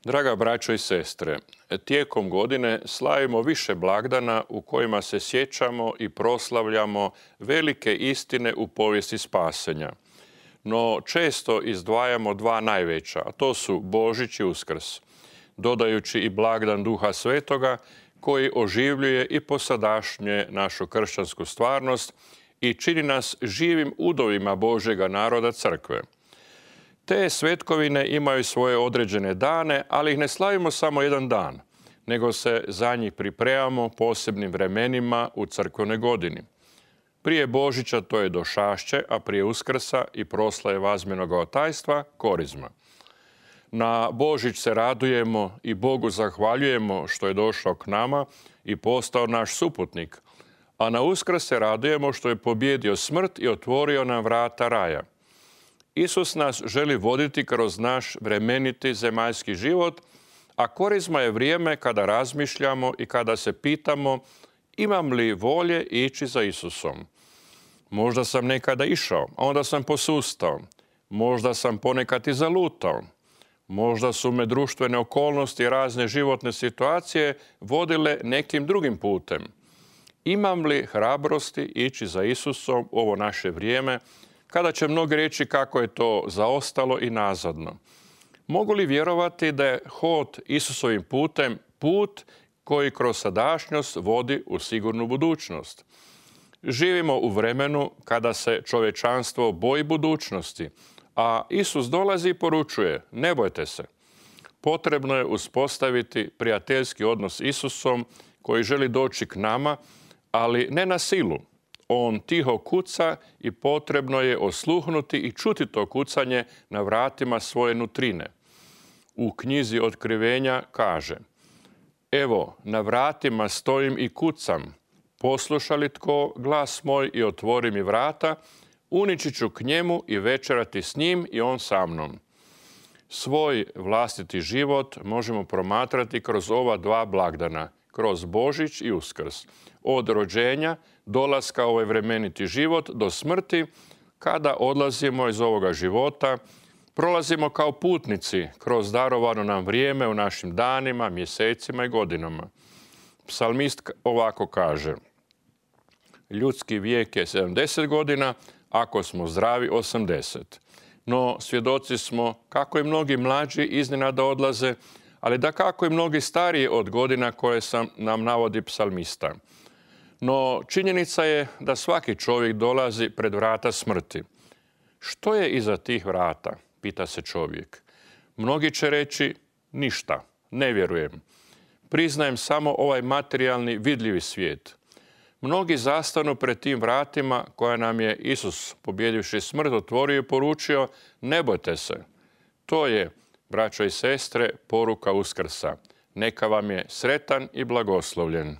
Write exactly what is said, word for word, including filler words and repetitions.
Draga braćo i sestre, tijekom godine slavimo više blagdana u kojima se sjećamo i proslavljamo velike istine u povijesti spasenja. No često izdvajamo dva najveća, a to su Božić i Uskrs, dodajući i blagdan Duha Svetoga koji oživljuje i posadašnje našu kršćansku stvarnost i čini nas živim udovima Božjega naroda crkve. Te svetkovine imaju svoje određene dane, ali ih ne slavimo samo jedan dan, nego se za njih pripremamo posebnim vremenima u crkvenoj godini. Prije Božića to je došašće, a prije Uskrsa i proslave Vazmjenog otajstva Korizma. Na Božić se radujemo i Bogu zahvaljujemo što je došao k nama i postao naš suputnik, a na Uskrs se radujemo što je pobjedio smrt i otvorio nam vrata raja. Isus nas želi voditi kroz naš vremeniti zemaljski život, a Korizma je vrijeme kada razmišljamo i kada se pitamo imam li volje ići za Isusom. Možda sam nekada išao, a onda sam posustao. Možda sam ponekad i zalutao. Možda su me društvene okolnosti i razne životne situacije vodile nekim drugim putem. Imam li hrabrosti ići za Isusom u ovo naše vrijeme, kada će mnogi reći kako je to zaostalo i nazadno? Mogu li vjerovati da je hod Isusovim putem put koji kroz sadašnjost vodi u sigurnu budućnost? Živimo u vremenu kada se čovječanstvo boji budućnosti, a Isus dolazi i poručuje, ne bojte se. Potrebno je uspostaviti prijateljski odnos s Isusom koji želi doći k nama, ali ne na silu. On tiho kuca i potrebno je osluhnuti i čuti to kucanje na vratima svoje nutrine. U knjizi Otkrivenja kaže: evo, na vratima stojim i kucam. Posluša li tko glas moj i otvori mi vrata, unići ću k njemu i večerati s njim i on sa mnom. Svoj vlastiti život možemo promatrati kroz ova dva blagdana, kroz Božić i Uskrs. Od rođenja, dolaska u ovaj vremeniti život do smrti, kada odlazimo iz ovoga života, prolazimo kao putnici kroz darovano nam vrijeme u našim danima, mjesecima i godinama. Psalmist ovako kaže: ljudski vijek je sedamdeset godina, ako smo zdravi osamdeset. No svjedoci smo kako i mnogi mlađi iznenada odlaze, ali da kako i mnogi stariji od godina koje sam nam navodi psalmista. No činjenica je da svaki čovjek dolazi pred vrata smrti. Što je iza tih vrata, pita se čovjek. Mnogi će reći ništa, ne vjerujem. Priznajem samo ovaj materijalni vidljivi svijet. Mnogi zastanu pred tim vratima koja nam je Isus, pobjedivši smrt, otvorio i poručio, ne bojte se. To je, braćo i sestre, poruka Uskrsa. Neka vam je sretan i blagoslovljen.